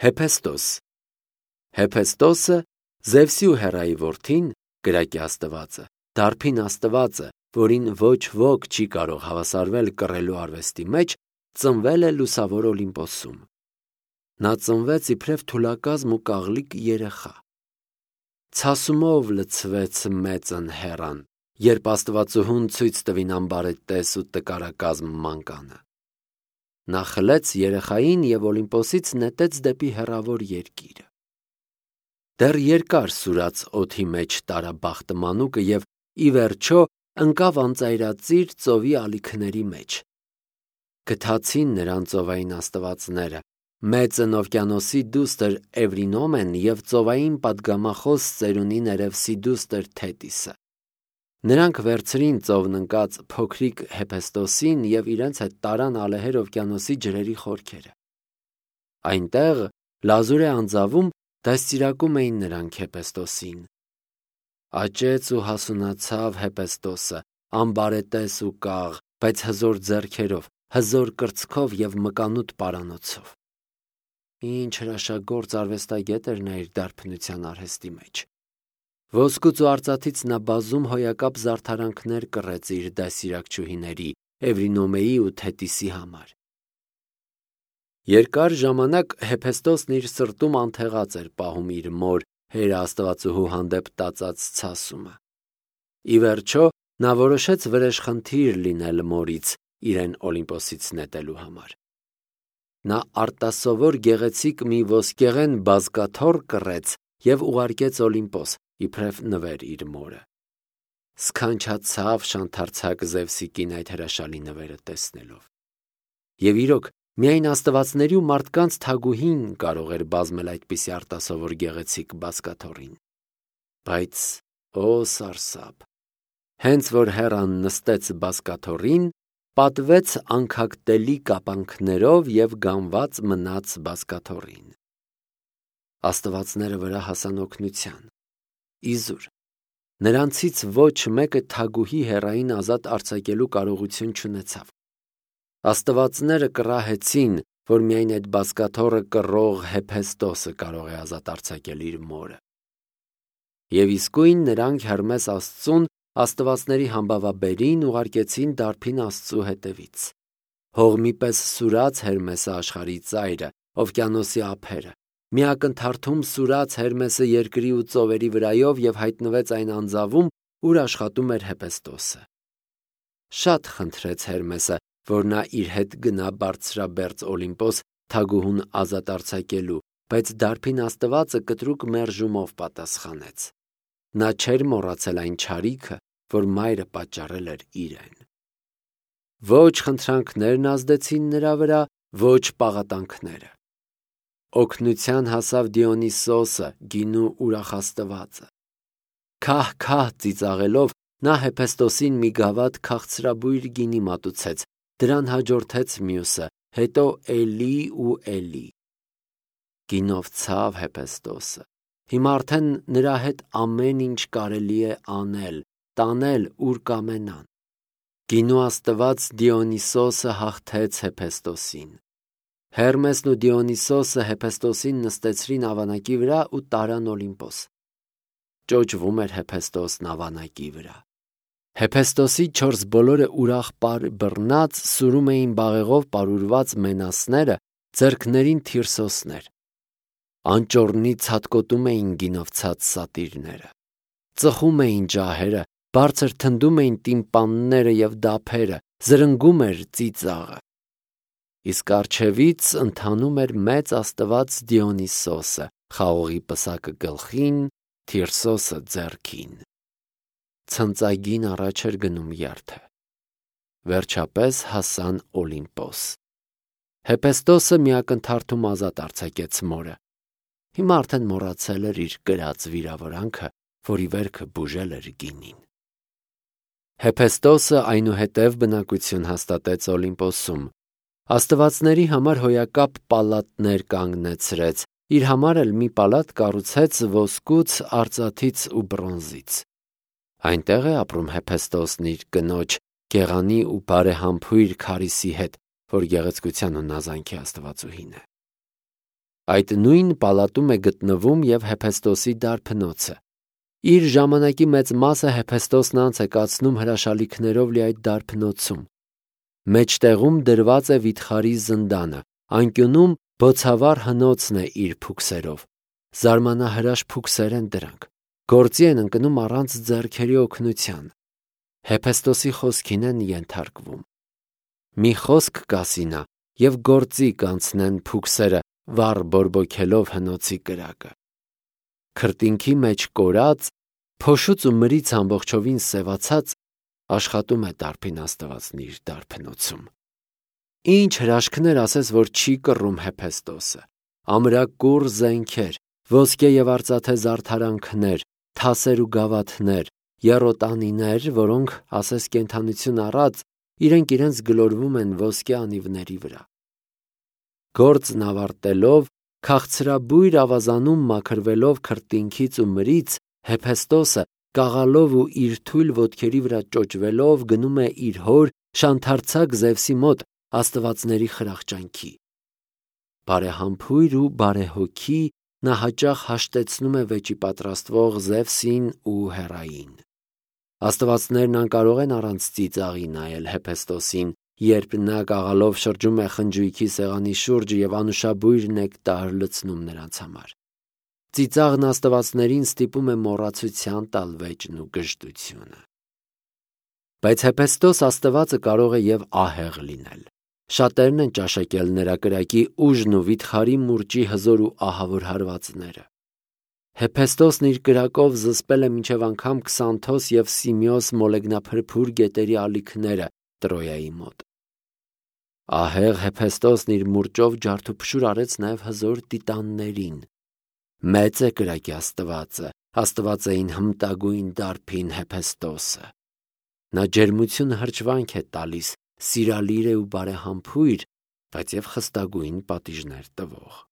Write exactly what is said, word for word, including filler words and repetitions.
Հեփեստոս Հեփեստոսը Զևսի ու Հերայի որդին, կրակի աստվածը, դարբին աստվածը, որին ոչ ոք չի կարող հավասարվել կռելու արվեստի մեջ, ծնվել է լուսավոր Օլիմպոսում։ Նա ծնվեց իբրև թուլակազմ ու կաղլիկ երեխա։ Ցասումով լցվեց մեծն Հեռան, երբ աստվածուհուն ցույց տվին ամբարետես ու տկարակազմ մանկանը։ Նա խլեց երեխային և Օլիմպոսից նետեց դեպի հեռավոր երկիրը։ Դեռ երկար սուրաց օդի մեջ տարաբախտը մանուկը և ի վերջո ընկավ անծայրածիր ծովի ալիքների մեջ։ Գթացին նրան ծովային աստվածները, մեծն օվկիանոսի դուստր Էվրինոմեն և ծովային պատգամախոս ծերունի Ներևսի դուստր Թետիսը։ Նրանք վերցրին ծովն ընկած փոքրիկ Հեփեստոսին և իրենց հետ տարան ալեհեր օվկիանոսի ջրերի խորքերը։ Այնտեղ լազուր է անձավում դաստիարակում էին նրանք Հեփեստոսին։ Աճեց ու հասունացավ Հեփեստոսը, ամբարետես ու կաղ, բայց հզոր ձեռքերով, հզոր կրծքով և մկանուտ պարանոցով։ Ինչ հրաշագործ արվեստագետ էր նա իր դարբնության արհեստի մեջ։ Ոսկուց ու արծաթից նա բազում հոյակապ զարդարանքներ կռեց իր դաստիարակչուհիների Էվրինոմեի ու Թետիսի համար։ Երկար ժամանակ Հեփեստոսն իր սրտում անթեղած էր պահում իր մոր Հերա աստվածուհու հանդեպ տածած ցասումը։ Ի վերջո նա որոշեց վրեժխնդիր լինել մորից իրեն Օլիմպոսից նետելու համար։ Նա արտասովոր գեղեցիկ մի ոսկեղեն բազկաթոռ կռեց և ուղարկեց Օլիմպոս, իբրև նվեր իր մորը։ Սքանչացավ շանթարցակ Զևսի կին այդ հրաշալի նվերը տեսնելով։ Եվ իրոք, միայն աստվածների ու մարդկանց թագուհին կարող էր բազմել այդպիսի արտասովոր գեղեցիկ բազկաթոռին։ Բայց օ սարսափ, հենց որ Հեռան նստեց բազկաթոռին, պատվեց անքակտելի կապանքներով և գանված մնաց բազկաթոռին։ Աստվածները վրա հասան օգնության։ Իզուր, նրանցից ոչ մեկը թագուհի Հեռային ազատ արձակելու կարողություն չունեցավ։ Աստվածները կռահեցին, որ միայն այդ բազկաթոռը կռող Հեփեստոսը կարող է ազատ արձակել իր մորը։ Եվ իսկույն նրանք Հեռմես Աստծուն աստվածների համբավաբերին ուղարկեցին դարբին Աստծու հետևից։ Հողմի պես սուրաց Հերմեսը աշխարհի ծայրը, օվկիանոսի ափերը։ Մի ակնթարթում սուրաց Հերմեսը երկրի ու ծովերի վրայով և հայտնվեց այն անձավում, ուր աշխատում էր Հեփեստոսը։ Շատ խնդրեց Հերմեսը, որ նա իր հետ գնա բարձրաբերձ Օլիմպոս թագուհուն ազատ արձակելու, բայց դարբին աստվածը կտրուկ մերժումով պատասխանեց։ Նա չէր մոռացել այն չարիքը, որ մայրը պատճառել էր իրեն։ Ոչ խնդրանքներն ազդեցին նրա վրա, ոչ պաղատանքները։ Օգնության հասավ Դիոնիսոսը, գինու ուրախաստվածը։ Քահ-քահ ծիծաղելով նա Հեփեստոսին մի գավաթ քաղցրաբույր գինի մատուցեց, դրան հաջորդեց մյուսը, հետո էլի ու էլի։ Գինով ցավ Հեփեստոսը։ Հիմա արդեն նրա հետ ամեն ինչ կարելի է անել, տանել, ուր կամենան։ Գինու աստված Դիոնիսոսը հաղթեց Հեփեստոսին։ Հերմեսն ու Դիոնիսոսը Հեփեստոսին նստեցրին ավանակի վրա ու տարան Օլիմպոս։ Ճոճվում էր Հեփեստոսն ավանակի վրա։ Հեփեստոսի չորս բոլորը ուրախ բռնած սուրում էին բաղեղով պարուրված մենասները, ձեռքներին թիրսոսներ։ Անճոռնի ցատկոտում էին գինով ցած սատիրները։ Ծխում էին ջահերը, բարձր թնդում էին տիմպանները և դափերը, զրնգում էր ծիծաղը։ Իսկ առջևից ընթանում էր մեծ աստված Դիոնիսոսը, խաղողի պսակը գլխին, թիրսոսը ձեռքին։ Ցնծագին առաջ էր գնում երթը։ Վերջապես հասան Օլիմպոս։ Հեփեստոսը մի ակնթարթում ազատ արձակեց մորը։ Հիմա արդեն մոռացել էր իր կրած վիրավորանքը, որի վերքը բուժել էր գինին։ Հեփեստոսը այնուհետև բնակություն հաստատեց Օլիմպոսում։ Աստվածների համար հոյակապ պալատներ կանգնեցրեց, իր համար էլ մի պալատ կառուցեց ոսկուց, արծաթից ու բրոնզից։ Այնտեղ է ապրում Հեփեստոսն իր կնոջ գեղանի ու բարեհամբույր Քարիսի հետ, որ գեղեցկության ու նազանքի աստվածուհին է։ Այդ նույն պալատում է գտնվում և Հեփեստոսի դարբնոցը։ Իր ժամանակի մեծ մասը Հեփեստոսն անց է կացնում հրաշալիքներով լի այդ դարբնոցում։ Մեջտեղում դրված է վիթխարի զնդանը, անկյունում բոցավառ հնոցն է իր փուքսերով։ Զարմանահրաշ փուքսեր են դրանք, գործի են ընկնում առանց ձեռքերի օգնության։ Հեփեստոսի խոսքին են ենթարկվում։ Մի խոսք կասի նա, և գործի կանցնեն փուքսերը, վառ բորբոքելով հնոցի կրակը։ Քրտինքի մեջ կորած, փոշուց ու մրից ամբողջովին սևացած, աշխատում է դարբին Աստվածն իր դարբնոցում։ Ինչ հրաշքներ ասես, որ չի կռում Հեփեստոսը։ Ամրակուռ զենքեր, ոսկե և արծաթե զարդարանքներ, թասեր ու գավաթներ, եռոտանիներ, որոնք, ասես կենդանություն առած, իրենք իրենց գլորվում են ոսկե անիվների վրա։ Գործն ավարտելով, քաղցրաբույր ավազանում մաքրվելով քրտինքից ու մրից, Հեփեստոսը կաղալով ու իր թույլ ոտքերի վրա ճոճվելով գնում է իր հոր շանթարցակ Զևսի մոտ աստվածների խրախճանքի։ Բարեհամբույր ու բարեհոգի նա հաճախ հաշտեցնում է վեճի պատրաստվող Զևսին ու Հեռային։ Աստվածներն անկարող են առանց ծիծաղի նայել Հեփեստոսին, երբ նա կաղալով շրջում է խնջույքի սեղանի շուրջը և անուշաբույր նեկտար լցնում նրանց համար։ Ծիծաղն աստվածներին ստիպում է մոռացության տալ վեճն ու գժտությունը։ Բայց Հեփեստոս աստվածը կարող է և ահեղ լինել։ Շատերն են ճաշակել նրա կրակի ուժն ու վիթխարի մուրճի հզոր ու ահավոր հարվածները։ Հեփեստոսն իր կրակով զսպել է մինչև անգամ Քսանթոս և Սիմեոս մոլեգնափրփուր գետերի ալիքները Տրոյայի մոտ։ Ահեղ Հեփեստոսն իր մուրճով ջարդուփշուր արեց նաև հզոր տիտաններին։ Մեծ է կրակի Աստվածը, աստվածային հմտագույն դարբին Հեփեստոսը։ Նա ջերմությունը հրճվանք է տալիս, սիրալիր է ու բարեհամբույր, բայց և խստագույն պատիժներ տվող։